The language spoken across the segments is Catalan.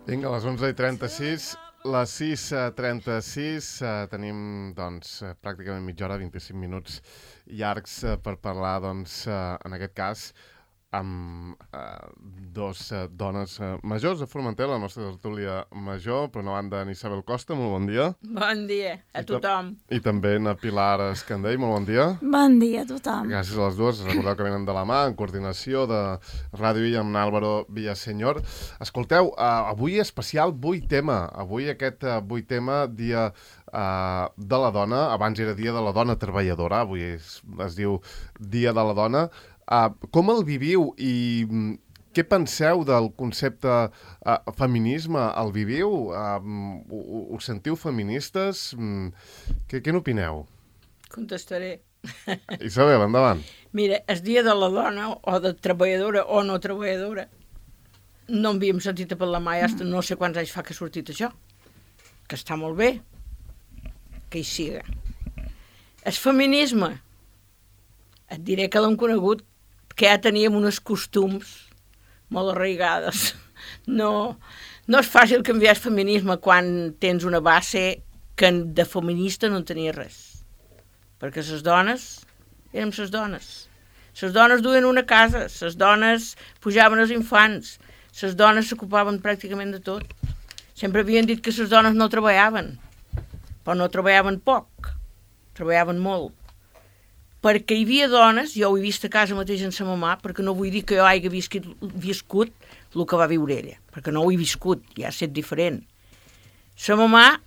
Vinga, a les 11:36, les 6:36, tenim doncs, pràcticament mitja hora, 25 minuts llargs per parlar, doncs, en aquest cas, amb dos dones majors a Formentera, la nostra tertúlia major, per una banda, en Isabel Costa, molt bon dia. Bon dia a tothom. I també en Pilar Escandell, molt bon dia. Bon dia a tothom. Gràcies a les dues. Recordeu que venen de la mà, en coordinació de Ràdio I amb Álvaro Villaseñor. Escolteu, avui especial 8M. Avui aquest 8M, dia de la dona. Abans era dia de la dona treballadora, avui es diu dia de la dona. Com el viviu i què penseu del concepte feminisme? El viviu? Us sentiu feministes? Què n'opineu? Contestaré. Isabel, endavant. Mira, el dia de la dona, o de treballadora o no treballadora, no en havíem sentit a parlar mai, no sé quants anys fa que ha sortit això. Que està molt bé, que hi siga. El feminisme, et diré que l'hem conegut, que ja teníem uns costums molt arraigades. No és fàcil canviar el feminisme quan tens una base que de feminista no en tenia res. Perquè les dones érem les dones. Les dones duien una casa, les dones pujaven els infants, les dones s'ocupaven pràcticament de tot. Sempre havien dit que les dones no treballaven, però no treballaven poc, treballaven molt. Perquè hi havia dones, jo ho he vist a casa mateix en sa mamà, perquè no vull dir que jo hagi viscut el que va viure ella, perquè no ho he viscut, ja ha estat diferent. Sa mamà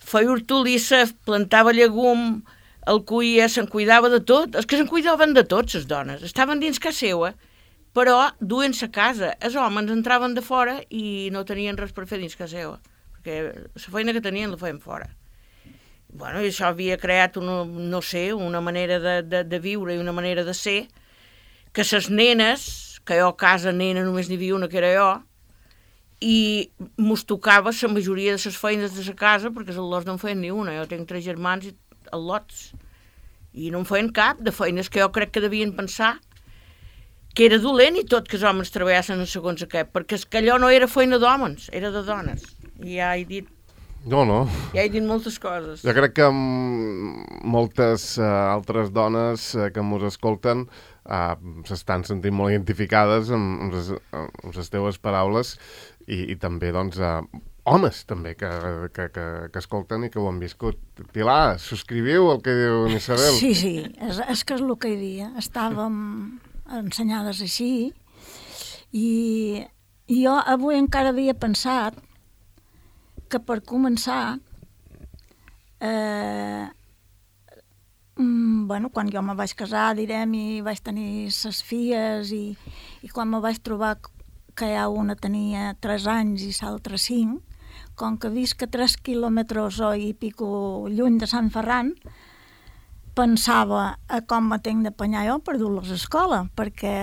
feia hortolissa, plantava llegum, el cuia, se'n cuidava de tot. És que se'n cuidaven de tot, les dones. Estaven dins casa seva, però duent-se a casa. Els homes entraven de fora i no tenien res per fer dins casa seva, perquè la feina que tenien la feien fora. Bueno, i això havia creat una manera de viure i una manera de ser, que les nenes, que jo a casa nena només n'hi havia una que era jo, i mos tocava la majoria de les feines de la casa, perquè els lots no en feien ni una. Jo tinc 3 germans i lots, i no en feien cap de feines que jo crec que devien pensar que era dolent i tot que els homes treballessin en segons aquest, perquè és que allò no era feina d'homes, era de dones. I ja he dit No. Ja he dit moltes coses. Jo crec que moltes altres dones que ens escolten s'estan sentint molt identificades amb les teves paraules i també, doncs, homes també que escolten i que ho han viscut. Pilar, subscriviu el que diu Isabel? Sí, és que és el que hi havia. Estàvem ensenyades així i jo avui encara havia pensat que per començar, quan jo me vaig casar, direm, i vaig tenir ses filles, i quan me vaig trobar que ja una tenia 3 anys i l'altra 5, com que visc a 3 quilòmetres i pico lluny de Sant Ferran, pensava a com me tenc d'apanyar jo per dur-los a l'escola, perquè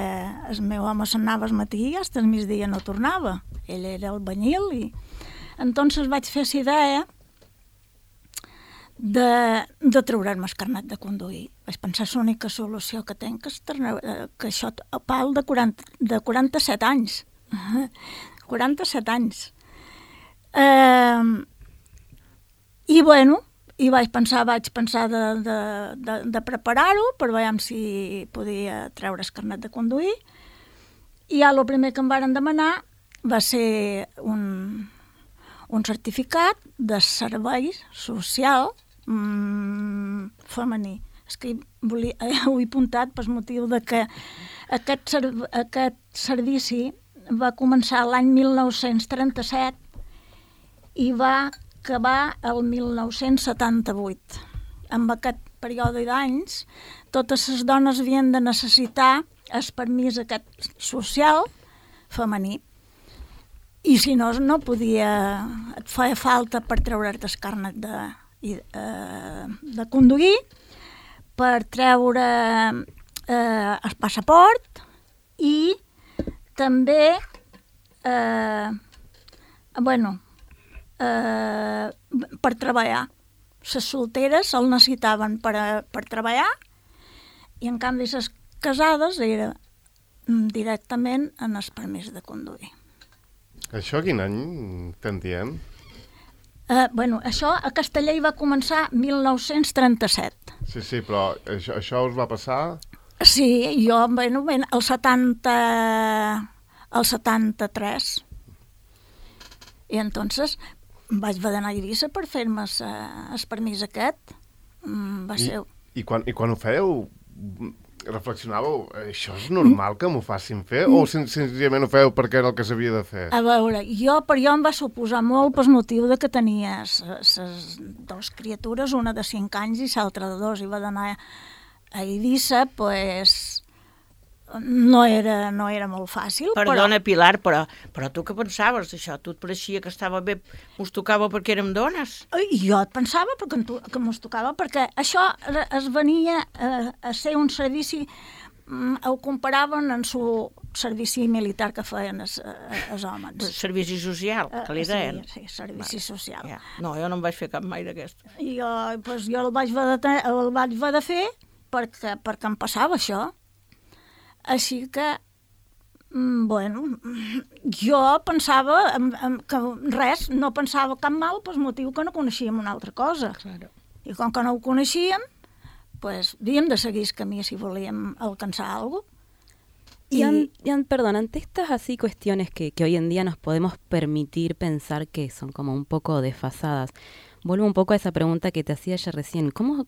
el meu home se'n anava al matí i fins al migdia no tornava. Ell era albañil i entonces vaig fer la idea de treure'm el carnet de conduir. Vaig pensar que l'única solució que tinc és que això a pal de 47 anys. 47 anys. I vaig pensar de preparar-ho per veure si podia treure el carnet de conduir. I ja el primer que em varen demanar va ser un certificat de servei social femení. És que ho he apuntat per motiu de que aquest servici va començar l'any 1937 i va acabar el 1978. En aquest període d'anys, totes les dones havien de necessitar el permís aquest social femení. I si no, no podia, et feia falta per treure't el carnet de conduir, per treure el passaport i també per treballar. Les solteres el necessitaven per treballar i en canvi les casades era directament en el permís de conduir. Això quin any estem dient? Això a Castellà hi va començar 1937. Sí, però això us va passar... Sí, jo, el 73. I entonces vaig haver d'anar a Eivissa per fer-me el permís aquest. Va ser... I quan ho fèieu, reflexionàveu, això és normal que m'ho facin fer? O senzillament ho fèieu perquè era el que s'havia de fer? A veure, per jo em va suposar molt pel motiu de que tenia les dues criatures, una de 5 anys i l'altra de 2, i va d'anar a Eivissa, pues, no era molt fàcil. Perdona, Pilar, però tu què pensaves d'això? Tu et pareixia que estava bé, us tocava perquè érem dones? Jo et pensava que mos tocava, perquè això es venia a ser un servici, ho comparaven amb el servici militar que feien els homes. Servici social, que li deien. Sí, servici social. Ja. No, jo no em vaig fer cap mai d'aquest. Jo el vaig haver de fer perquè em passava això. Així que, jo pensava que res, no pensava cap mal pel motiu que no coneixíem una altra cosa. Claro. I com que no ho coneixíem, pues havíem de seguir el camí si volíem alcançar alguna cosa. Perdón, ante estas así cuestiones que hoy en día nos podemos permitir pensar que son como un poco desfasadas, vuelvo un poco a esa pregunta que te hacía ya recién. ¿Cómo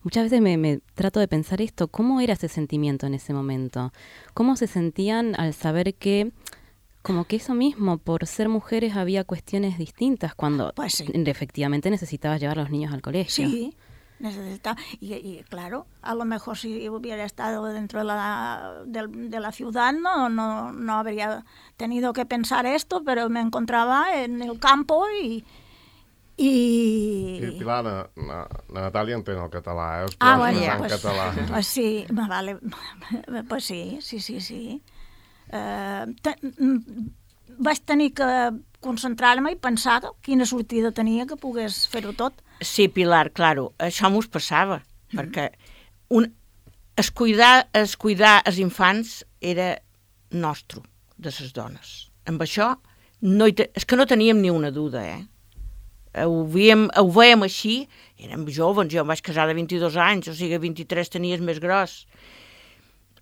muchas veces me trato de pensar esto? ¿Cómo era ese sentimiento en ese momento? ¿Cómo se sentían al saber que como que eso mismo, por ser mujeres había cuestiones distintas cuando pues sí, efectivamente necesitabas llevar a los niños al colegio? Sí, necesitaba. Y claro, a lo mejor si hubiera estado dentro de la ciudad no habría tenido que pensar esto, pero me encontraba en el campo i Pilar, la Natàlia entén el català, us podeu expressar en català. Pues sí, vale, pues sí. Vaig tenir que concentrar-me i pensar quina sortida tenia que pogués fer-ho tot. Sí, Pilar, claro, això m'ho passava, perquè cuidar els infants era nostre, de les dones. Amb això, és que no teníem ni una duda, Ho veiem així, érem joves, jo em vaig casar de 22 anys, o sigui, 23 tenies més gros.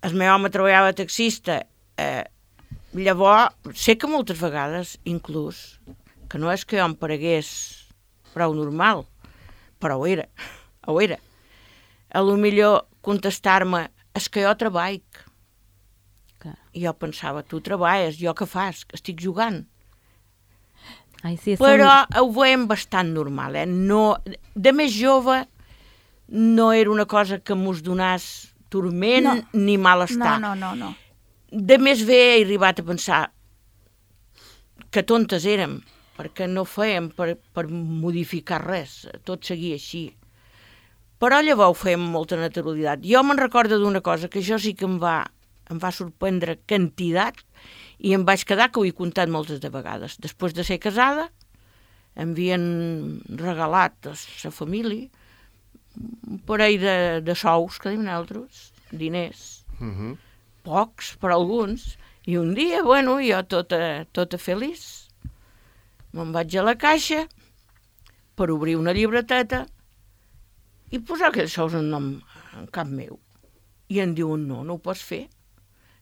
El meu home treballava taxista, llavors, sé que moltes vegades, inclús, que no és que jo em paregués prou normal, però ho era. A lo millor contestar-me, és que jo treballo. Clar. I jo pensava, tu treballes, jo què fas? Estic jugant. Ai, sí, però ho veiem bastant normal, No, de més jove no era una cosa que mos donàs turment ni malestar. No. De més bé he arribat a pensar que tontes érem, perquè no fèiem per modificar res, tot seguia així. Però llavors ho fèiem amb molta naturalitat. Jo me'n recordo d'una cosa que això sí que em va sorprendre quantitat, i em vaig quedar, que ho he contat moltes de vegades. Després de ser casada, em havien regalat a la família un parell de sous, que diuen altres, diners, pocs per alguns, i un dia, jo tota feliç, me'n vaig a la caixa per obrir una llibreteta i posar aquells sous en nom en cap meu. I em diuen, no ho pots fer.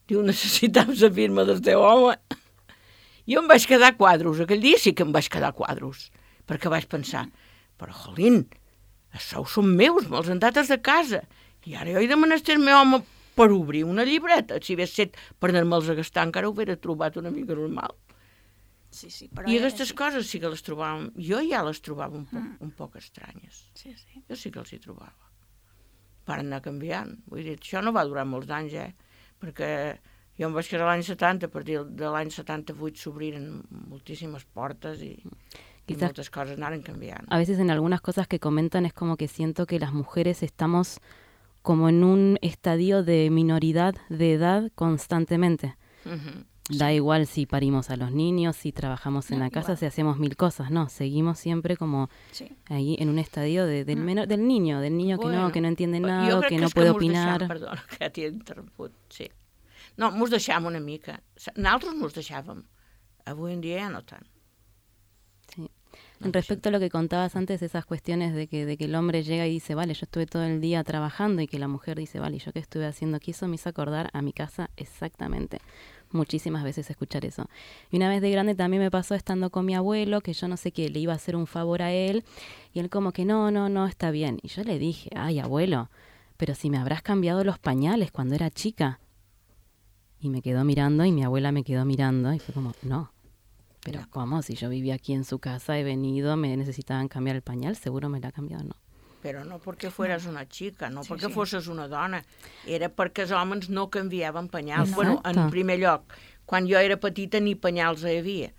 Diu, necessitava la firma del teu home. Jo em vaig quedar quadros, aquell dia sí que em vaig quedar quadros, perquè vaig pensar, però jolín, els sous són meus, me'ls han dat de casa, i ara jo he de menester el meu home per obrir una llibreta. Si hagués set per anar-me'ls a gastar, encara ho hauria trobat una mica normal. Sí, però I aquestes coses sí que les trobàvem, jo ja les trobava un poc estranyes. Sí. Jo sí que els hi trobava. Van anar canviant. Vull dir, això no va durar molts anys, perquè jo em vaig casar l'any 70, a partir de l'any 78 s'obriren moltíssimes portes i muchas cosas andaron cambiando. A veces en algunas cosas que comentan es como que siento que las mujeres estamos como en un estadio de minoridad de edad constantemente. Da igual si parimos a los niños, si trabajamos en la casa, si hacemos 1000 cosas, no, seguimos siempre como ahí en un estadio del niño que no entiende nada, que no puede opinar. Perdona, que t'he interromput, sí. No, mos deixàvem una mica. Nosaltres mos deixàvem Avui en dia ja no tant. Sí. Respecto a lo que contabas antes, esas cuestiones de que el hombre llega y dice, vale, yo estuve todo el día trabajando, y que la mujer dice, vale, ¿yo qué estuve haciendo aquí? Eso me hizo acordar a mi casa exactamente. Muchísimas veces escuchar eso. Y una vez de grande también me pasó estando con mi abuelo, que yo no sé qué, le iba a hacer un favor a él, y él como que no, está bien. Y yo le dije, ay, abuelo, pero si me habrás cambiado los pañales cuando era chica. Y me quedó mirando, y mi abuela me quedó mirando, y fue como, no. Pero ¿cómo? Si yo vivía aquí en su casa, he venido, me necesitaban cambiar el pañal, seguro me l'ha cambiado, no. Però no perquè fueres una xica, no perquè fossis una dona. Era perquè els homes no canviaven penyals. Bueno, en primer lloc, quan jo era petita ni penyals hi havia.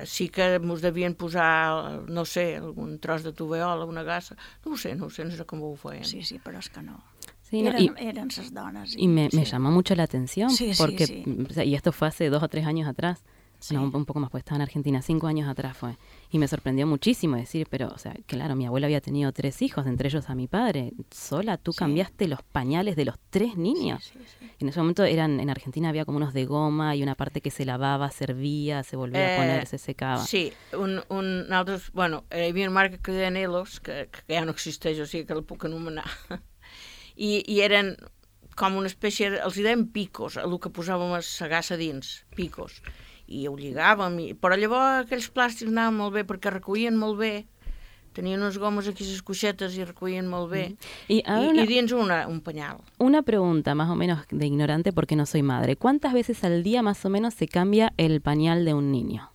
Sí que mos devien posar, no sé, algun tros de toveola, una gassa. No sé com ho feien. Sí, però és que no. Sí, Eran esas donas. Y me llamó mucho la atención, porque, sí. O sea, y esto fue hace 2 o 3 años atrás. Sí. No, un poco más, pues estaba en Argentina, 5 años atrás fue. Y me sorprendió muchísimo decir, pero, o sea, claro, mi abuela había tenido 3 hijos, entre ellos a mi padre. Sola, tú cambiaste los pañales de los 3 niños. Sí. En ese momento en Argentina había como unos de goma y una parte que se lavaba, servía, se volvía a poner, se secava. Sí, nosaltres, bueno, hi havia una marca que deien Elos, que ja no existeix, o sigui que la puc anomenar. I eren com una espècie, els hi deien picos, el que posàvem a sagassa dins, picos. I ho lligàvem, però llavors aquells plàstics anaven molt bé perquè recollien molt bé, tenien unes gomes aquí a les cuixetes i recollien molt bé, i dins un pañal. Una pregunta más o menos de ignorante porque no soy madre. ¿Cuántas veces al día más o menos se cambia el pañal de un niño?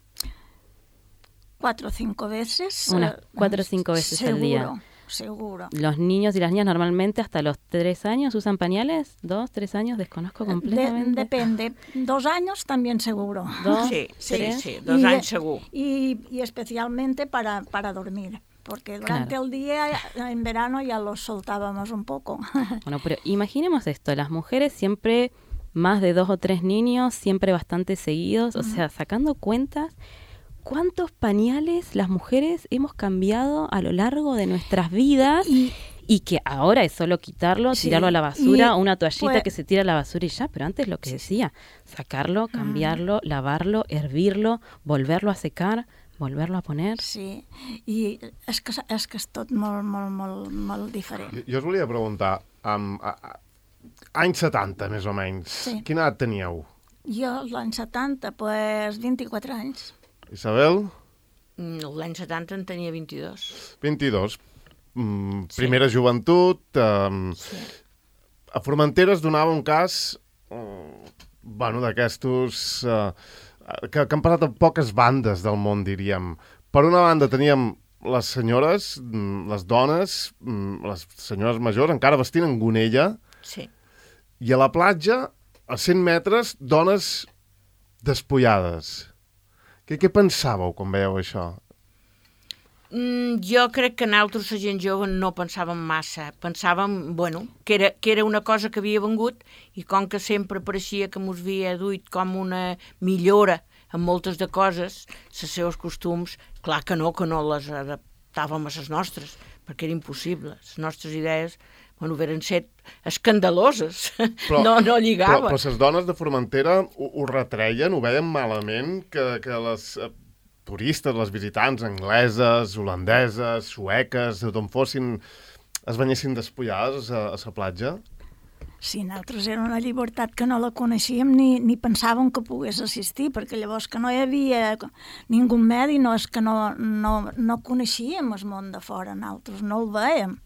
4 o 5 veces. Unas 4 o 5 veces al día. Seguro. Los niños y las niñas normalmente hasta los 3 años usan pañales, 2, 3 años, desconozco completamente. Depende, 2 años también seguro. 2, sí, 2 años seguro. Y especialmente para dormir, porque durante el día, en verano, ya los soltábamos un poco. Bueno, pero imaginemos esto, las mujeres siempre más de 2 o 3 niños, siempre bastante seguidos, o sea, sacando cuentas, ¿cuántos pañales las mujeres hemos cambiado a lo largo de nuestras vidas? Y que ahora es solo quitarlo, tirarlo a la basura, una toallita que se tira a la basura y ya, pero antes lo que decía, sacarlo, cambiarlo, lavarlo, hervirlo, volverlo a secar, volverlo a poner. Sí, i és que és tot molt diferent. Jo us volia preguntar, anys 70, més o menys, quina edat teníeu? Jo, l'any 70, pues 24 anys. Isabel? L'any 70 en tenia 22. 22. Primera joventut. A Formentera es donava un cas d'aquestos que han passat a poques bandes del món, diríem. Per una banda teníem les senyores, les dones, les senyores majors, encara vestint en gonella, i a la platja, a 100 metres, dones despullades. Què pensàveu quan veieu això? Jo crec que nosaltres, la gent jove, no pensàvem massa. Pensàvem, que era una cosa que havia vengut i com que sempre pareixia que mos havia duit com una millora en moltes de coses, els seus costums, clar que no les adaptàvem a les nostres, perquè era impossible. Les nostres idees veren ser escandaloses, no lligaven. Però les dones de Formentera ho retreien, ho veien malament, que les turistes, les visitants angleses, holandeses, sueques, d'on fossin, es banyessin despullades a la platja? Sí, nosaltres era una llibertat que no la coneixíem ni pensàvem que pogués assistir, perquè llavors que no hi havia ningú medi, no és que no coneixíem el món de fora, nosaltres no el veiem.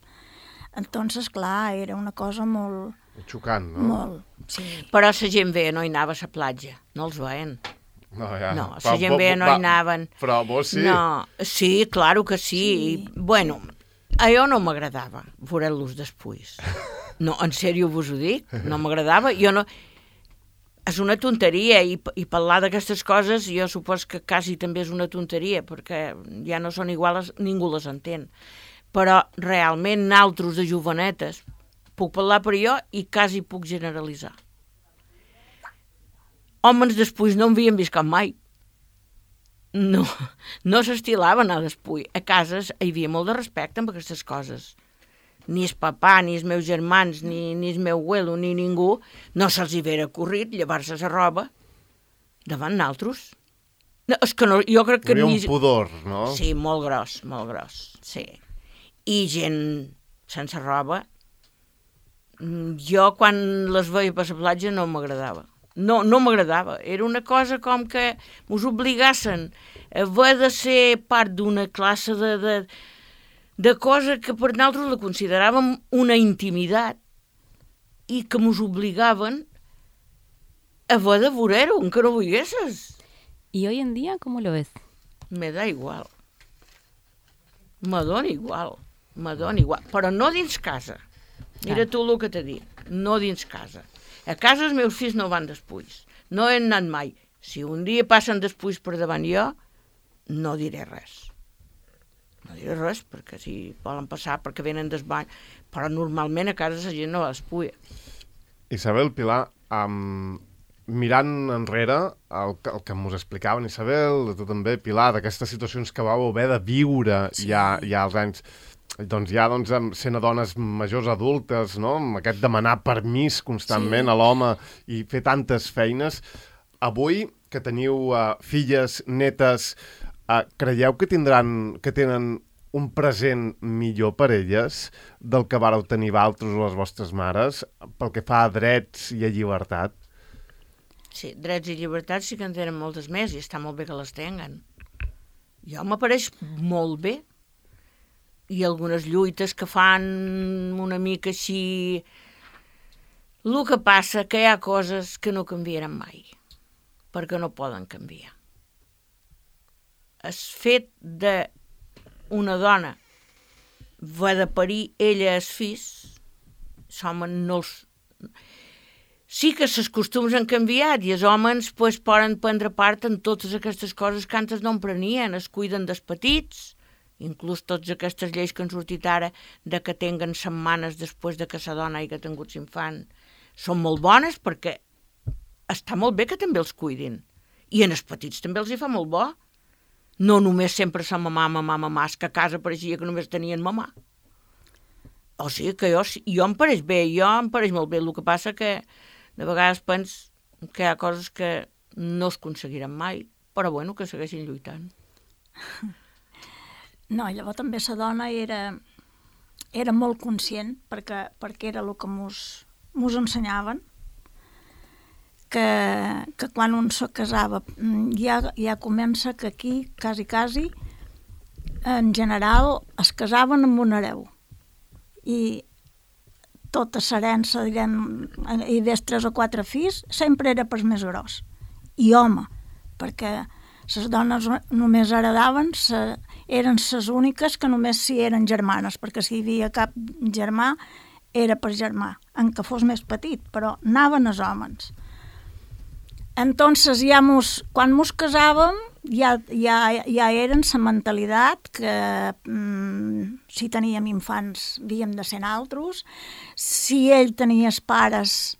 Entonces, clar, era una cosa molt... Xocant, no? Molt, sí. Però la gent veia no hi anava a la platja, no els veien. No, la gent veia no hi anaven. Però vos sí? No, sí, claro que sí. Bueno, a jo no m'agradava veure-los després. No, en sèrio vos ho dic, no m'agradava. Jo no... És una tonteria i parlar d'aquestes coses jo supos que quasi també és una tonteria perquè ja no són iguals, ningú les entén. Però realment nosaltres de jovenetes, puc parlar per jo i quasi puc generalitzar. Homes després no en havien vist cap mai. No s'estilaven a despull. A cases hi havia molt de respecte amb aquestes coses. Ni el papà, ni els meus germans, ni el meu abuelo, ni ningú, no se'ls hi vera corrit llevar-se la roba davant nosaltres. No, és que no, jo crec que Hi havia un pudor, no? Sí, molt gros, sí. I gent sense roba. Jo, quan les veia per la platja, no m'agradava. No m'agradava. Era una cosa com que mos obligassen a haver de ser part d'una classe de cosa que per nosaltres la consideràvem una intimitat i que mos obligaven a haver de veure-ho, encara no veiesses. ¿Y hoy en día cómo lo ves? Me da igual. Me dona igual. Però no dins casa. Mira tu el que t'he dit. No dins casa. A casa els meus fills no van después. No he anat mai. Si un dia passen después per davant jo, no diré res. No diré res, perquè si volen passar, perquè venen desbany. Però normalment a casa la gent no va después. Isabel, Pilar, mirant enrere el que mos explicaven, Isabel, tu també, Pilar, d'aquestes situacions que vau haver de viure ja als anys, doncs ja sent dones majors adultes, no? Amb aquest demanar permís constantment a l'home i fer tantes feines. Avui, que teniu filles, netes, creieu que tenen un present millor per elles del que vareu tenir vosaltres o les vostres mares pel que fa a drets i a llibertat? Sí, drets i llibertats sí que en tenen moltes més i està molt bé que les tenguen. Jo m'apareix molt bé. I algunes lluites que fan una mica així. El que passa que hi ha coses que no canviaran mai, perquè no poden canviar. El fet d'una dona va de parir ella els fills, no els... Sí que els costums han canviat i els homes poden prendre part en totes aquestes coses que antes no en prenien, es cuiden dels petits, inclús totes aquestes lleis que han sortit ara de que tinguen setmanes després de que la dona hagi tingut l'infant són molt bones perquè està molt bé que també els cuidin i en els petits també els hi fa molt bo. No només sempre sa mamà, és que a casa pareixia que només tenien mamà. O sigui que jo em pareix bé, em pareix molt bé. El que passa que de vegades penso que hi ha coses que no es aconseguiran mai, però bueno, que segueixin lluitant. No, llavors també la dona era molt conscient, perquè era el que mos ensenyaven, que quan un se casava ja comença que aquí, quasi, en general es casaven amb un hereu. I tota l'herència, diguem, hi havia 3 o 4 fills, sempre era pels més gros. I home, perquè les dones només heredaven, eren les úniques que només si eren germanes, perquè si hi havia cap germà era per germà, en què fos més petit, però anaven els homes. Entonces quan mos casàvem ja eren la mentalitat que si teníem infants havíem de ser naltros, si ell tenia els pares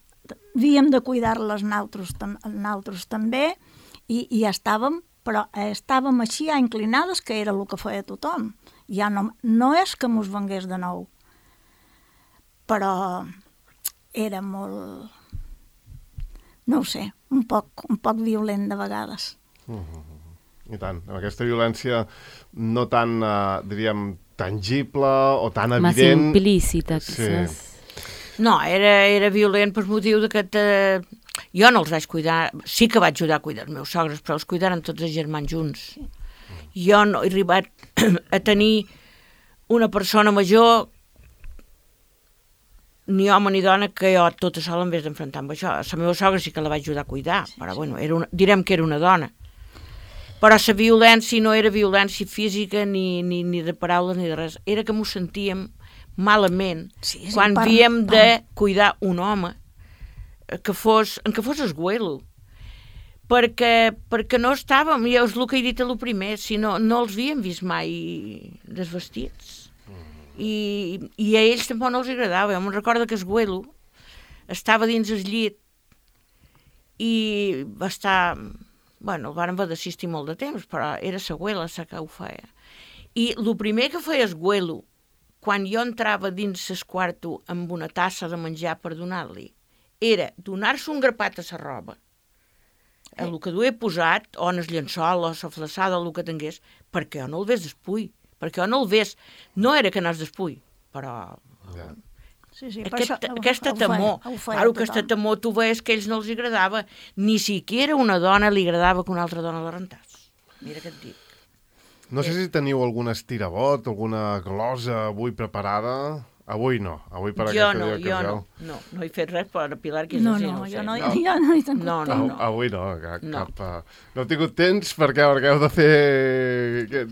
havíem de cuidar-les naltros també i ja estàvem, però estàvem així ja inclinades que era el que feia tothom. Ja no és que mos vengués de nou, però era molt, no ho sé, un poc violent de vegades. I tant, amb aquesta violència no tan, diríem, tangible o tan evident. Más implícita, quizás. Sí. No, era violent per motiu de que jo no els vaig cuidar, sí que vaig ajudar a cuidar els meus sogres, però els cuidaren tots els germans junts. Jo no he arribat a tenir una persona major, ni home ni dona, que jo tota sola en vez d'enfrontar amb això. La meva sogra sí que la vaig ajudar a cuidar, però bueno, direm que era una dona. Però la violència no era violència física ni de paraules ni de res, era que m'ho sentíem malament quan havíem de cuidar un home que fos esguelo, perquè no estàvem, ja és el que he dit a lo primer, si no els havíem vist mai desvestits. I a ells tampoc no els agradava. Jo me'n recordo que esguelo estava dins el llit i va estar... Bueno, el van haver d'assistir molt de temps, però era la abuela la que ho feia. I el primer que feia esguelo, quan jo entrava dins el quarto amb una tassa de menjar per donar-li, era donar-se un grapat a la roba el que duia posat, o en el llençol, o la flaçada, o el que tingués, perquè jo no el ves despull, perquè jo no el ves, no era que no es despull, però... Ja. Sí, Aquesta temor, claro, aquesta temor, tu veies que a ells no els agradava, ni siquiera una dona li agradava que una altra dona la rentàs. Mira què et dic. No sé si teniu algun estirabot, alguna glosa avui preparada. Avui no, avui per aquesta dia que feu. No he fet res per Pilar, que no, no jo sé. no he tingut temps. Avui no, no he tingut temps perquè heu de fer...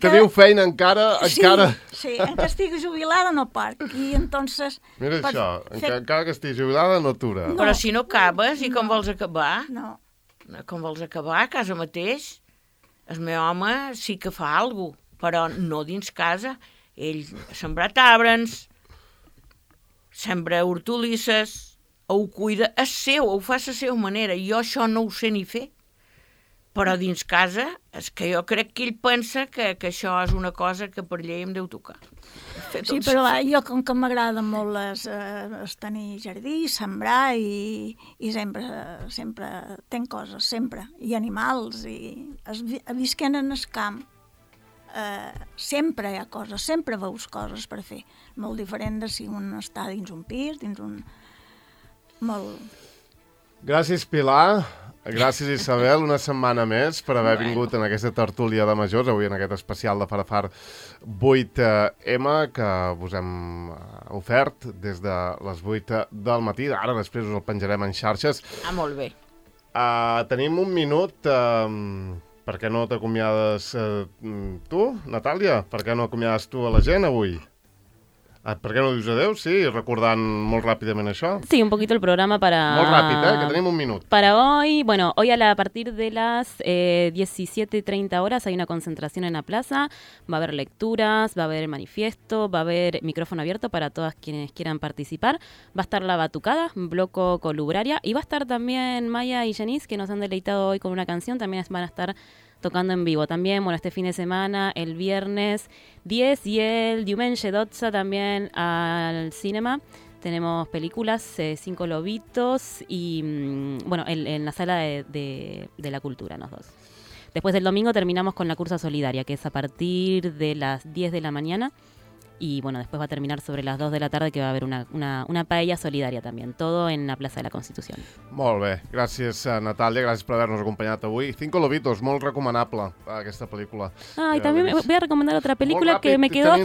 Teniu feina encara? Sí, encara estic jubilada no parc. I entonces... Mira això, encara que estic jubilada no atura. No. Però si no acabes, i com vols acabar? No. Com vols acabar, a casa mateix? El meu home sí que fa alguna cosa, però no dins casa. Ell sembra arbres, sembra hortolisses, ho cuida, és seu, ho fa a la seva manera. Jo això no ho sé ni fer. Però dins casa, és que jo crec que ell pensa que això és una cosa que per llei em deu tocar. Sí, però jo com que m'agrada molt tenir jardí, sembrar i sempre tenc coses, sempre, i animals, i visquent en el camp. Sempre hi ha coses, sempre veus coses per fer. Molt diferent de si un està dins un pis, dins un... Molt... Gràcies, Pilar. Gràcies, Isabel, una setmana més per haver vingut en aquesta tertúlia de majors, avui en aquest especial de Farafar 8M, que us hem ofert des de les 8 del matí. Ara després us el penjarem en xarxes. Molt bé. Tenim un minut... Per què no t'acomiades tu, Natàlia? Per què no acomiades tu a la gent avui? Per qué no dius adeu? Sí, recordant molt ràpidament això. Sí, un poquito el programa para... Molt ràpid, que tenim un minut. Para hoy, bueno, hoy a partir de las 17:30 horas hay una concentración en la plaza, va a haber lecturas, va a haber manifiesto, va a haber micrófono abierto para todas quienes quieran participar, va a estar la batucada, bloco colubraria, y va a estar también Maya y Janice, que nos han deleitado hoy con una canción, también van a estar tocando en vivo. También, bueno, este fin de semana, el viernes 10 y el Diumenge 12 también al cinema. Tenemos películas, 5 lobitos y, bueno, en la sala de la cultura, los dos. Después del domingo terminamos con la cursa solidaria, que es a partir de las 10 de la mañana. Y bueno, después va a terminar sobre las 2 de la tarde, que va a haver una paella solidaria también. Todo en la Plaza de la Constitución. Molt bé. Gràcies, Natàlia. Gràcies por habernos acompañado hoy. 5 lobitos, molt recomanable esta película. Ah, y también voy a recomendar otra película que me quedó...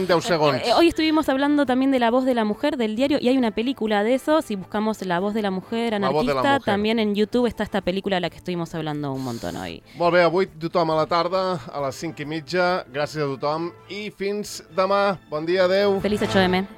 Hoy estuvimos hablando también de La Voz de la Mujer, del diario, y hay una película de eso. Si buscamos La Voz de la Mujer, anarquista, también en YouTube está esta película de la que estuvimos hablando un montón hoy. Molt bé, avui tothom a la tarda, a les 5:30. Gràcies a tothom i fins demà. Bon dia, adeu. Feliz 8M.